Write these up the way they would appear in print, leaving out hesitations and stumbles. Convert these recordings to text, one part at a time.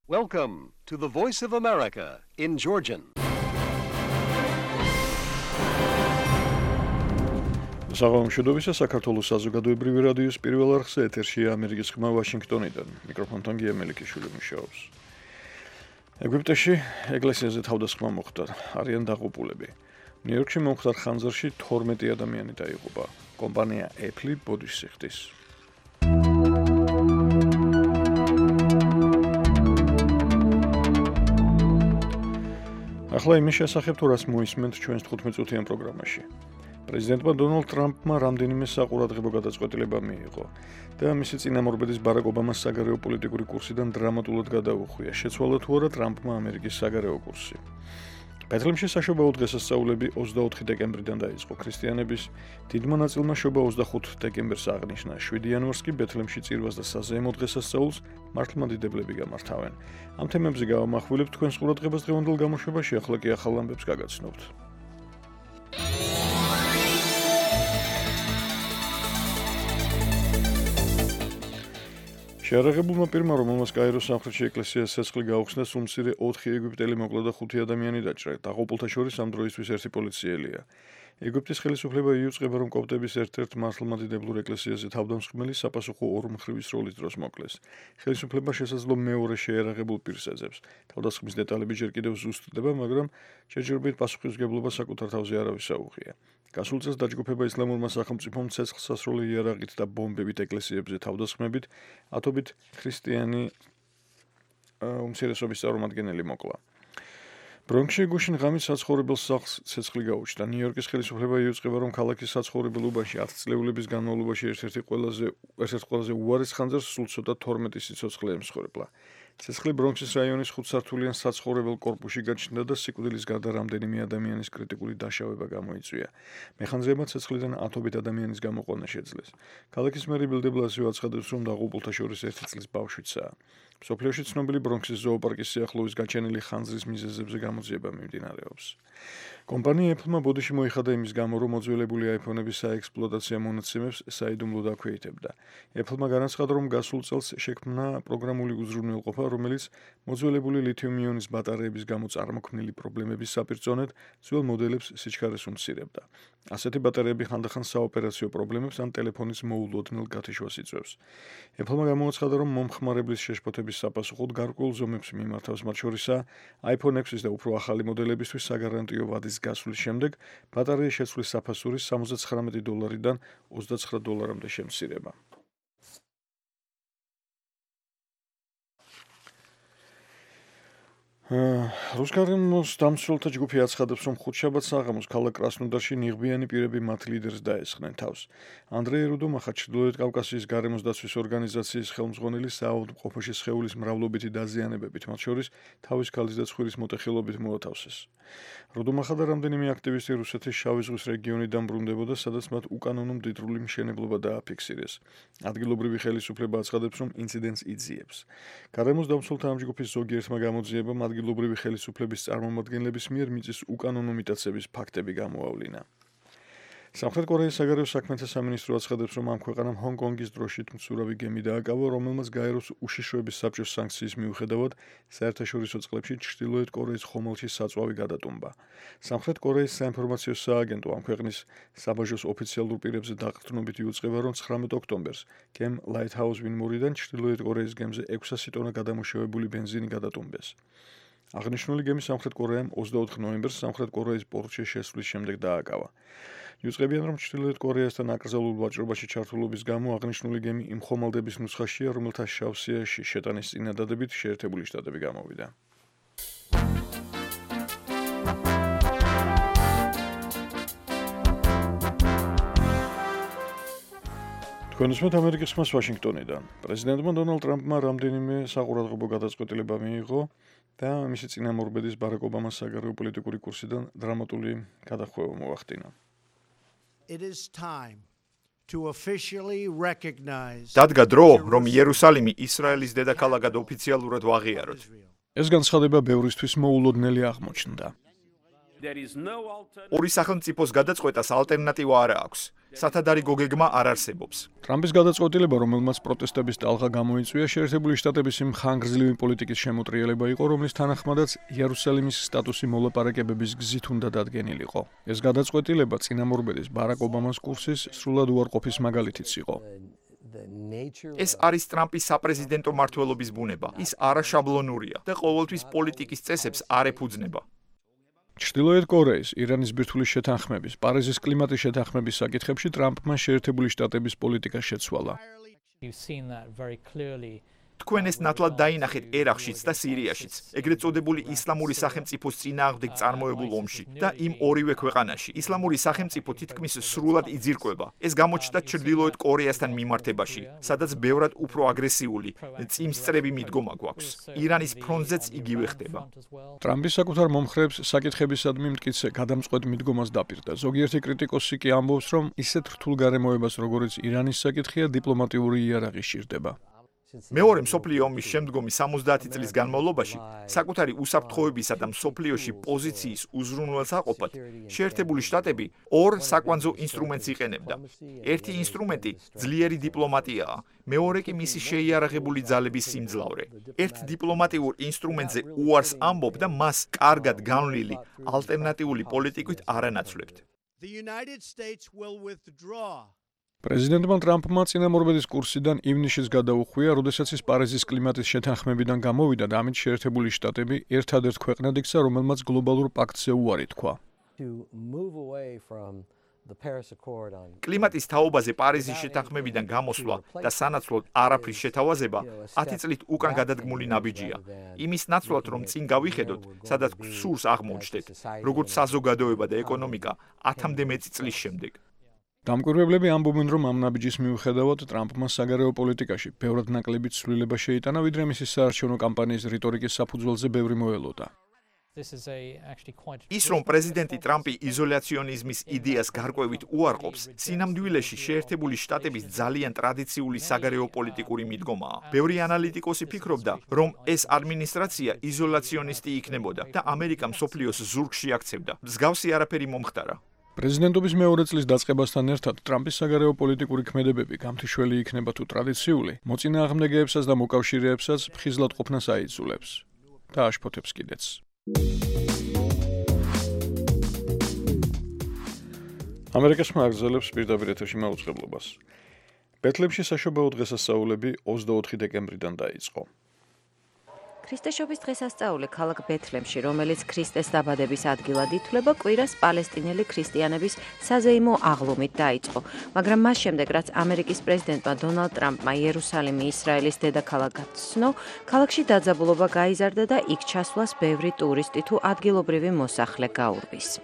Welcome to the Voice of America in Georgian. საღამოშობისა საქართველოს საზოგადოებრივი რადიოს პირველ არხზე ეთერშია ამერიკის ხმა ვაშინგტონიდან. მიკროფონთან გია მელიქიშვილი მუშაობს. ეგვიპტეში ეკლესიაზე თავდასხმა მოხდა. არიან დაღუპულები. ნიუ-იორკში მომხდარ ხანძარში 12 ადამიანი დაიღუპა. კომპანია Apple ბოდიშს იხდის. ახლა იმის შესახებ თუ რას მოისმენთ ჩვენს 15-წუთიან პროგრამაში. პრეზიდენტმა დონალდ ტრამპმა რამდენიმე საყურადღებო გადაწყვეტილება მიიღო და მისი წინამორბედის ბარაკ ობამას საგარეო პოლიტიკური კურსიდან დრამატულად გადაუხვია. შეცვალა თუ არა ტრამპმა ამერიკის საგარეო კურსი. ბეთლემში საშობაო დღესასწაულები 24 დეკემბრიდან დაიწყო. ქრისტიანების დიდმა ნაწილმა შობა 25 დეკემბერს აღნიშნა. 7 იანვარს კი ბეთლემში წირვას და საზეიმო დღესასწაულს მართლმადიდებლები გამართავენ. ამ თემებზე გავამახვილებთ თქვენს ყურადღებას დღევანდელ გამოშვებაში, ახლა კი ახალ ამბებს გაგაცნობთ. შეარაღებულმა პირმა, რომელმაც კაიროს სამხრეთში ეკლესიას ცეცხლი გაუხსნა, სულმცირე 4 ეგვიპტელი მოკლა და 5 ადამიანი დაჭრა. დაღუპულთა შორის ამ დროისთვის ერთი პოლიციელია. ეგვიპტის ხელისუფლება იუწყება, რომ კოპტების ერთ-ერთ მართლმადიდებლურ ეკლესიაზე თავდამსხმელი საპასუხო ორმხრივის როლის დროს მოკლეს. ხელისუფლება შესაძლო მეორე შეარაღებულ პირს ეძებს. თავდასხმის დეტალები ჯერ კიდევ ზუსტდება, მაგრამ შეჯერებით პასუხისმგებლობა საკუთარ თავზე არავის აუღია. გასულ წელს დაჯგუფება ისლამურმა სახელმწიფომ ცეცხლსასროლი იარაღით და ბომბებით ეკლესიებზე თავდასხმებით ათობით ქრისტიანი უმცირესობის წარმომადგენელი მოკლა. ბრონქსში გუშინ ღამით საცხოვრებელ სახლს ცეცხლი გაუჩნდა. ნიუ-იორკის ხელისუფლება იუწყება, რომ ქალაქის საცხოვრებელ უბანში 10 წლეულების განმავლობაში ერთ-ერთ ყველაზე უარეს ხანძარს სულ ცოტა 12 სიცოცხლე ემსხვერპლა. ცეცხლი ბრონქსის რაიონის 5 სართულიან საცხოვრებელ კორპუსში გაჩნდა და სიკვდილის გარდა რამდენიმე ადამიანის კრიტიკული დაშავება გამოიწვია. მეხანძრეებმა ცეცხლიდან ათობით ადამიანის გამოყვანა შეძლეს. ქალაქის მერი ბილ დე ბლასიო აცხადებს, რომ დაღუპულთა შორის 1 წლის ბავშვიცაა. მსოფლიოში ცნობილი ბრონქსის ზოოპარკის სიახლოვის გაჩენილი ხანძრის მიზეზებზე გამოძიება მიმდინარეობს. კომპანია Apple-მა ბოდიში მოიხადა იმის გამო, რომ მოძველებული iPhone-ების საექსპლუატაციო მონაცემებს საიდუმლოდ აქვეითებდა. Apple-მა განაცხადა, რომ გასულ წელს შექმნა პროგრამული უზრუნველყოფა, რომელიც მოძველებული ლითიუმ-იონის ბატარეების გამო წარმოქმნილი პრობლემების საპირწონედ ძველ მოდელებს სიჩქარეს უმცირებდა. ასეთი ბატარეები ხანდახან საოპერაციო პრობლემებს ან ტელეფონის მოულოდნელ გათიშვას იწვევს. Apple-მა გამოაცხადა, რომ მომხმარებლის შეშფოთების საპასუხოდ გარკვეულ ზომებს მიმართავს, მათ შორისაა iPhone 6-ის და უფრო ახალი მოდელებისთვის საგარანტიო ვადის გასვლის შემდეგ ბატარეის შეცვლის საფასურის $79-დან $29-მდე შემცირება. რუსკარემოს დამცველთა ჯგუფი აცხადებს, რომ ხუთშაბათს საღამოს ქალაქ კრასნოდარში ნიღბიანი პირები მათ ლიდერს დაესხნენ თავს. ანდრეი რუდომახა, ჩრდილოეთ კავკასიის გარემოს დაცვის ორგანიზაციის ხელმძღვანელი, საავადმყოფოში სხეულის მრავლობითი დაზიანებებით, მათ შორის თავის ქალის და ცხვირის მოტეხილობით მოათავსეს. რუდომახა და რამდენიმე აქტივისტი რუსეთის შავი ზღვის რეგიონიდან ბრუნდებოდა, სადაც მათ უკანონო მდიდრული მშენებლობა დააფიქსირეს. ადგილობრივი ხელისუფლება აცხადებს, რომ ინციდენტს იძიებს. გარემოს დამცველთა ამ ჯგუფის ზოგიერთმა გამოძიებამ ადგილობრივი ხელისუფლების წარმომადგენლების მიერ მიწის უკანონო მიტაცების ფაქტები გამოავლინა. სამხრეთ კორეის საგარეო საქმეთა სამინისტრო აცხადებს, რომ ამ ქვეყანამ ჰონგ-კონგის დროშით მცურავი გემი დააკავა, რომელმაც გაეროს უშიშროების საბჭოს სანქციის მიუხედავად საერთაშორისო წყლებში ჩრდილოეთ კორეის ხომალდში საწვავი გადატუმბა. სამხრეთ კორეის საინფორმაციო სააგენტო ამ ქვეყნის საბაჟოს ოფიციალურ პირებზე დაყრდნობით იუწყება, რომ 19 ოქტომბერს გემ ლაითჰაუს ვინმორიდან ჩრდილოეთ კორეის გემზე 600 ტონა გადამუშავებული ბენზინი გადატუმბეს. აღნიშნული გემი სამხრეთ კორეამ 24 ნოემბერს სამხრეთ კორეის პორტში შესვლის შემდეგ დააკავა. იუწყებიან, რომ ჩრდილოეთ კორეასთან აკრძალულ ვაჭრობაში ჩართულობის გამო აღნიშნული გემი იმ ხომალდების ნუსხაშია, რომელთა შავსიაში შეტანის წინადადებით შეერთებული შტატები გამოვიდა. თქვენ უსმენთ ამერიკის ხმას ვაშინგტონიდან. პრეზიდენტმა დონალდ ტრამპმა რამდენიმე საყურადღებო გადაწყვეტილება მიიღო და მისი წინამორბედის ბარაკ ობამას საგარეო პოლიტიკური კურსიდან დრამატული გადახვევა მოახდინა. დადგა დრო, რომ იერუსალიმი ისრაელის დედაქალაქად ოფიციალურად ვაღიაროთ. ეს განცხადება ბევრისთვის მოულოდნელი აღმოჩნდა. ორი სახელმწიფოს გადაწყვეტას ალტერნატივა არ აქვს. სათადარი გოგეგმა არ არსებობს. ტრამპის გადაწყვეტილება, რომელმაც პროტესტების ტალღა გამოიწვია, შეერთებული შტატების იმ ხანგრძლივი პოლიტიკის შემოტრიალება იყო, რომლის თანახმადაც იერუსალიმის სტატუსი მოლაპარაკებების გზით უნდა დადგენილიყო. ეს გადაწყვეტილება წინამორბედის ბარაკ ობამას კურსის სრულად უარყოფის მაგალითიც იყო. ეს არის ტრამპის საპრეზიდენტო მმართველობის ბუნება. ის არაშაბლონურია და ყოველთვის პოლიტიკის წესებს არ ეფუძნება. ჩრდილოეთ კორეის, ირანის ბირთვulis შეთანხმების, პარიზის კლიმატის შეთანხმების საკითხებში ტრამპმა შეერთებული შტატების პოლიტიკა შეცვალა. თქვენ ეს ნათლად დაინახეთ ერაყშიც და სირიაშიც, ეგრეთ წოდებული ისლამური სახელმწიფოს წინააღმდეგ წარმოებულ ომში და იმ ორივე ქვეყანაში. ისლამური სახელმწიფო თითქმის სრულად იძირკვება. ეს გამოჩნდა ჩრდილოეთ კორეასთან მიმართებაში, სადაც ბევრად უფრო აგრესიული, წიმსწრები მიდგომა გვაქვს. ირანის ფრონტზეც იგივე ხდება. ტრამპის საკუთარ მომხრეებს საკითხებისადმი მტკიცე გადამწყვეტ მიდგომას დაპირდა. ზოგიერთი კრიტიკოსი კი ამბობს, რომ ისეთ რთულ გარემოებას, როგორიც ირანის საკითხია, დიპლომატიური იარაღი სჭირდება. მეორე მსოფლიო ომის შემდგომი 70 წლის განმავლობაში საკუთარი უსაფრთხოებისა და მსოფლიოში პოზიციის უზრუნველსაყოფად შეერთებული შტატები ორ საკვანძო ინსტრუმენტს იყენებდა. ერთი ინსტრუმენტი ძლიერი დიპლომატიაა, მეორე კი მისი შეიარაღებული ძალების სიმძლავრე. ერთ დიპლომატიურ ინსტრუმენტზე უარს ამბობ და მას კარგად განვლილი ალტერნატიული პოლიტიკით არ ანაცვლებთ. პრეზიდენტმა ტრამპმა წინამორბედის კურსიდან ივნისშიც გადაუხვია, როდესაც ის პარიზის კლიმატის შეთანხმებიდან გამოვიდა და ამით შეერთებული შტატები ერთადერთ ქვეყნად იქცა, რომელმაც გლობალურ პაქტზე უარი თქვა. კლიმატის თაობაზე პარიზის შეთანხმებიდან გამოსვლა და სანაცვლოდ არაფრის შეთავაზება 10 წლით უკან გადადგმული ნაბიჯია. იმის ნაცვლად, რომ წინ გავიხედოთ, სადაც სურს აღმოჩნდეთ, როგორც საზოგადოება და ეკონომიკა 10-მდე მეტი წლის შემდეგ. დამკვირვებლები ამბობენ, რომ ამ ნაბიჯის მიუხედავად ტრამპმა საგარეო პოლიტიკაში ბევრად ნაკლები ცვლილება შეიტანა, ვიდრე მისი საარჩევნო კამპანიის რიტორიკის საფუძველზე ბევრი მოელოდა. ის რომ პრეზიდენტი ტრამპი იზოლაციონიზმის იდეას გარკვევით უარყოფს, სინამდვილეში შეერთებული შტატების ძალიან ტრადიციული საგარეო პოლიტიკური მიდგომაა. ბევრი ანალიტიკოსი ფიქრობდა, რომ ეს ადმინისტრაცია იზოლაციონისტი იქნებოდა და ამერიკა მსოფლიოს ზურგში აქცევდა. მსგავსი არაფერი მომხდარა. პრეზიდენტობის მეორე წლის დაწყებასთან ერთად ტრამპის საგარეო პოლიტიკური ქმედებები გამთიშველი იქნება თუ ტრადიციული, მოწინააღმდეგეებსაც და მოკავშირეებსაც ფხიზლად ყოფნას აიძულებს და აშფოთებს კიდეც. ამერიკის მაგზელებს პირდაპირ ეთერში მაუწყებლობას. ბეთლემში საშობაო დღესასწაულები 24 დეკემბრიდან დაიწყო. ქრისტეშობის დღესასწაული ქალაქ ბეთლემში, რომელიც ქრისტეს დაბადების ადგილად ითვლება, კვირას პალესტინელი ქრისტიანების საზეიმო აღლუმით დაიწყო, მაგრამ მას შემდეგ, რაც ამერიკის პრეზიდენტმა დონალდ ტრამპმა იერუსალიმი ისრაელის დედაქალაქად ცნო, ქალაქში დაძაბულობა გაიზარდა და იქ ჩასვლას ბევრი ტურისტი თუ ადგილობრივი მოსახლე გაურბის.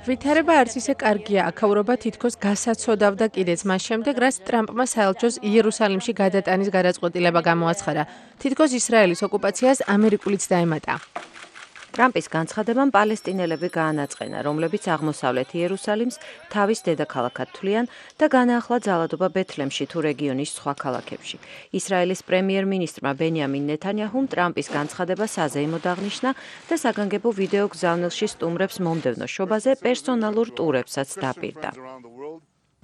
ვითარება არც ისე კარგია, აქაურობა თითქოს გასაცოდავდა კიდეც მას შემდეგ, რაც ტრამპმა საელჩოს იერუსალიმში გადატანის გადაწყვეტილება გამოაცხადა. თითქოს ისრაელის ოკუპაციას ამერიკულიც დაემატა. ტრამპის განცხადებამ პალესტინელები გაანაწყენა, რომლებიც აღმოსავლეთ იერუსალიმს თავის დედაქალაქად თვლიან და განაახლა ძალადობა ბეთლემში თუ რეგიონის სხვა ქალაქებში. ისრაელის პრემიერ-მინისტრმა ბენიამინ ნეთანიაჰუმ ტრამპის განცხადება საზეიმოდ აღნიშნა და საგანგებო ვიდეო გზავნილში სტუმრებს მომდევნო შობაზე პერსონალურ ტურებსაც დაპირდა.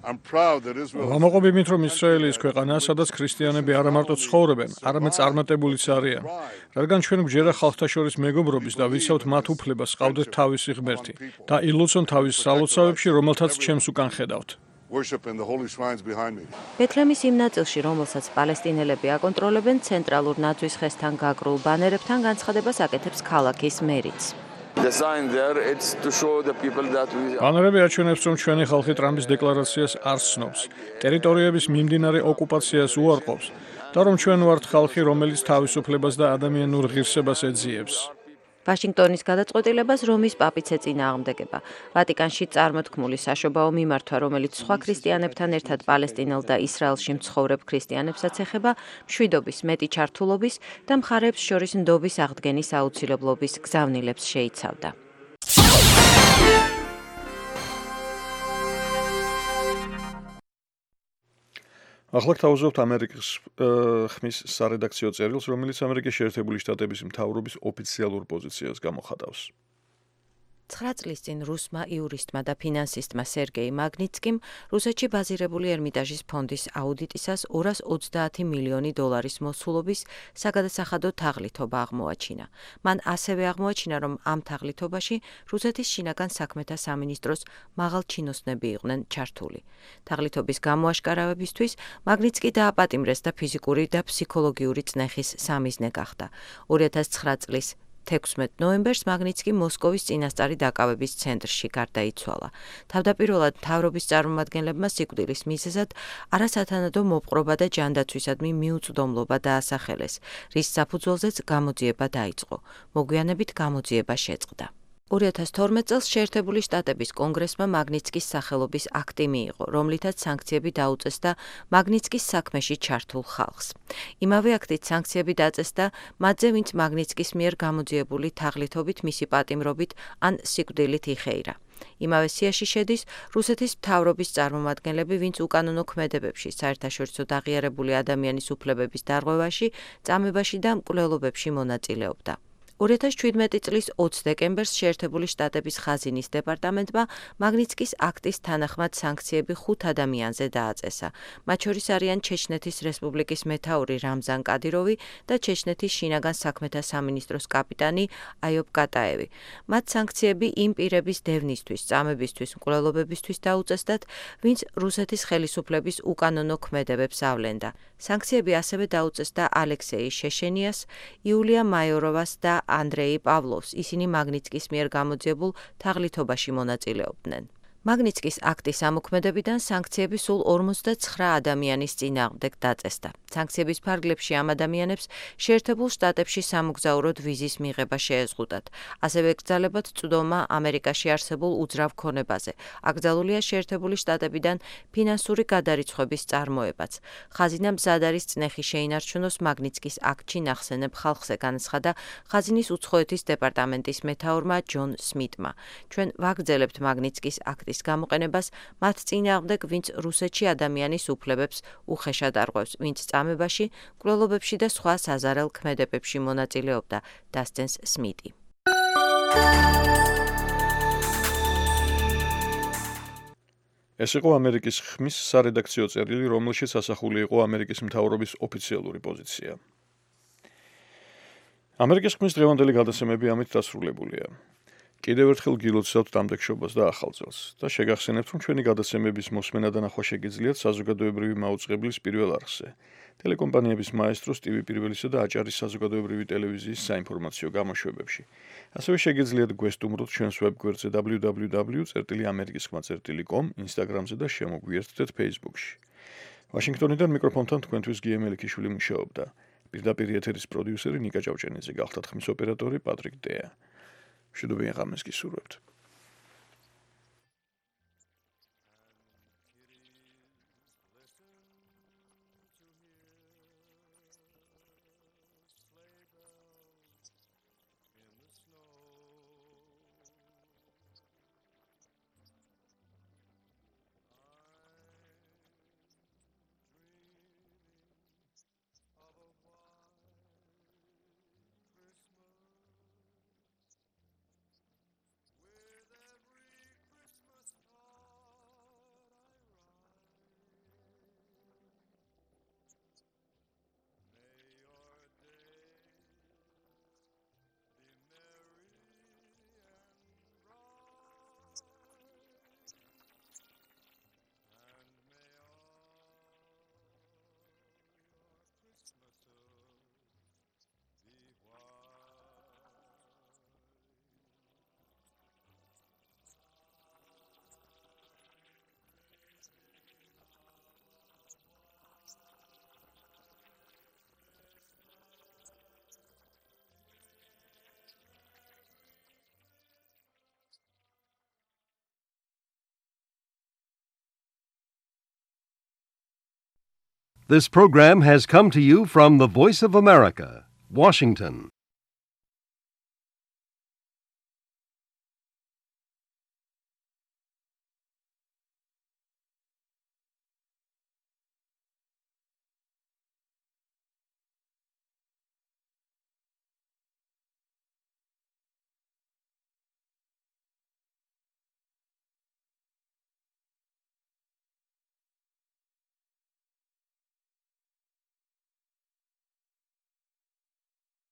ვამაყობ იმით, რომ ისრაელი ის ქვეყანაა, სადაც ქრისტიანები არა მარტო ცხოვრობენ, არამედ წარმატებულიც არიან. რადგან ჩვენ გვჯერა ხალხთა შორის მეგობრობის და ვიცავთ მათ უფლებას, ყავდეთ თავისი ღმერთი და ილოცონ თავის სალოცავებში, რომელთაც ჩემს უკან ხედავთ. ბეთლემის იმ ნაწილში, რომელსაც პალესტინელები აკონტროლებენ, ცენტრალურ ნაძვის ხესთან გაკრულ ბანერებთან განცხადებას აკეთებს ქალაქის მერიც. ბანერები აჩვენებს, რომ ჩვენი ხალხი ტრამპის დეკლარაციას არ ცნობს, ტერიტორიების მიმდინარე ოკუპაციას უარყოფს და რომ ჩვენ ვართ ხალხი, რომელიც თავისუფლებას და ადამიანურ ღირსებას ეძიებს. ვაშინგტონის გადაწყვეტილებას რომის პაპიც ეწინააღმდეგება. ვატიკანში წარმოთქმული საშობაო მიმართვა, რომელიც სხვა ქრისტიანებთან ერთად პალესტინელ და ისრაელში მცხოვრებ ქრისტიანებსაც ეხება, მშვიდობის, მეტი ჩართულობის და მხარეებს შორის ნდობის აღდგენის აუცილებლობის გზავნილებს შეიცავდა. ახლა გთავაზობთ ამერიკის ხმის სარედაქციო წერილს, რომელიც ამერიკის შეერთებული შტატების მთავრობის ოფიციალურ პოზიციას გამოხატავს. 9 წლის წინ რუსმა იურისტმა და ფინანსისტმა სერგეი მაგნიცკიმ რუსეთში ბაზირებული ერმიტაჟის ფონდის აუდიტისას 230 მილიონი დოლარის მოსულობის საგადასახადო თაღლითობა აღმოაჩინა. მან ასევე აღმოაჩინა, რომ ამ თაღლითობაში რუსეთის შინაგან საქმეთა სამინისტროს მაღალჩინოსნები იყვნენ ჩართული. თაღლითობის გამოაშკარავებისთვის მაგნიცკი დააპატიმრეს და ფიზიკური და ფსიქოლოგიური წნეხის სამიზნე გახდა. 2009 წლის 16 ნოემბერს მაგნიცკი მოსკოვის წინასწარი დაკავების ცენტრში გარდაიცვალა. თავდაპირველად მთავრობის წარმომადგენლებმა სიკვდილის მიზეზად არასათანადო მოპყრობა და ჯანდაცვისადმი მიუწვდომლობა დაასახელეს, რის საფუძველზეც გამოძიება დაიწყო. მოგვიანებით გამოძიება შეწყდა. 2012 წელს შეერთებული შტატების კონგრესმა მაგნიცკის სახელობის აქტი მიიღო, რომლითაც სანქციები დაუწესდა მაგნიცკის საქმეში ჩართულ ხალხს. იმავე აქტით სანქციები დაწესდა მათზე, ვინც მაგნიცკის მიერ გამოძიებული თაღლითობით, მისი პატიმრობით ან სიკვდილით იხეირა. იმავე სიაში შედის რუსეთის მთავრობის წარმომადგენლები, ვინც უკანონო ქმედებებში, საერთაშორისო დაღიარებული ადამიანის უფლებების დარღვევაში, წამებაში და მკვლელობებში მონაწილეობდა. 2017 წლის 20 დეკემბერს შეერთებული შტატების ხაზინის დეპარტამენტმა მაგნიცკის აქტის თანახმად სანქციები 5 ადამიანზე დააწესა. მათ შორის არიან ჩეჩნეთის რესპუბლიკის მეთაური რამზან კადიროვი და ჩეჩნეთის შინაგან საქმეთა სამინისტროს კაპიტანი აიობ კატაევი. მათ სანქციები იმ პირების დევნისთვის, წამებისთვის, მკვლელობებისთვის დაუწესდათ, ვინც რუსეთის ხელისუფლების უკანონო ქმედებებს ავლენდა. სანქციები ასევე დაუწესდა ალექსეი შეშენიას, იულია მაიოროვას და ანდრეი პავლოვს, ისინი მაგნიცკის მიერ გამოძიებულ თაღლითობაში მონაწილეობდნენ. მაგნიცკის აქტის ამოქმედებიდან სანქციები სულ 59 ადამიანის წინააღმდეგ დაწესდა. სანქციების ფარგლებში ამ ადამიანებს შეერთებულ შტატებში სამოგზაუროდ ვიზის მიღება შეეზღუდათ. ასევე ეკრძალებათ წვდომა ამერიკაში არსებულ უძრავ ქონებაზე. აკრძალულია შეერთებული შტატებიდან ფინანსური გადარიცხვების წარმოებაც. ხაზინა მზად არის წნეხი შეინარჩუნოს მაგნიცკის აქტში ნახსენებ ხალხზე, განაცხადა ხაზინის უცხოეთის დეპარტამენტის მეთაურმა ჯონ სმიტმა. ჩვენ ვაგრძელებთ მაგნიცკის აქტის გამოყენებას მათ წინააღმდეგ, ვინც რუსეთში ადამიანის უფლებებს უხეშად არღვევს, ვინც წამებაში, მკვლელობებში და სხვა საზარელ ქმედებებში მონაწილეობდა, დასცენს სმიტი. ეს იყო ამერიკის ხმის სარედაქციო წერილი, რომელშიც ასახული იყო ამერიკის მთავრობის ოფიციალური პოზიცია. ამერიკის ხმის დღევანდელი გადაცემები ამით დასრულებულია. კიდევ ერთხელ გილოცავთ დამდეგშობას და ახალ წელს და შეგახსენებთ, რომ ჩვენი გადაცემების მოსმენა და ნახვა შეგიძლიათ საზოგადოებრივი მაუწყებლის პირველ არხზე, ტელეკომპანიების მაესტროს, TV პირველისა და აჭარის საზოგადოებრივი ტელევიზიის საინფორმაციო გამოშვებებში. ასევე შეგიძლიათ გვესტუმროთ ჩვენს ვებგვერდზე www.amerikiskhma.com, Instagram-ზე და შემოგვიერთდეთ Facebook-ში. ვაშინგტონიდან მიკროფონთან თქვენთვის გიემ ელიქიშვილი მუშაობდა. პირდაპირ ეთერის პროდიუსერი ნიკა ჭავჭენიძე, გახლდათ ხმის ოპერატორი პატრიკ დეა. მშვიდობიან ღამეს გისურვებთ. This program has come to you from the Voice of America, Washington.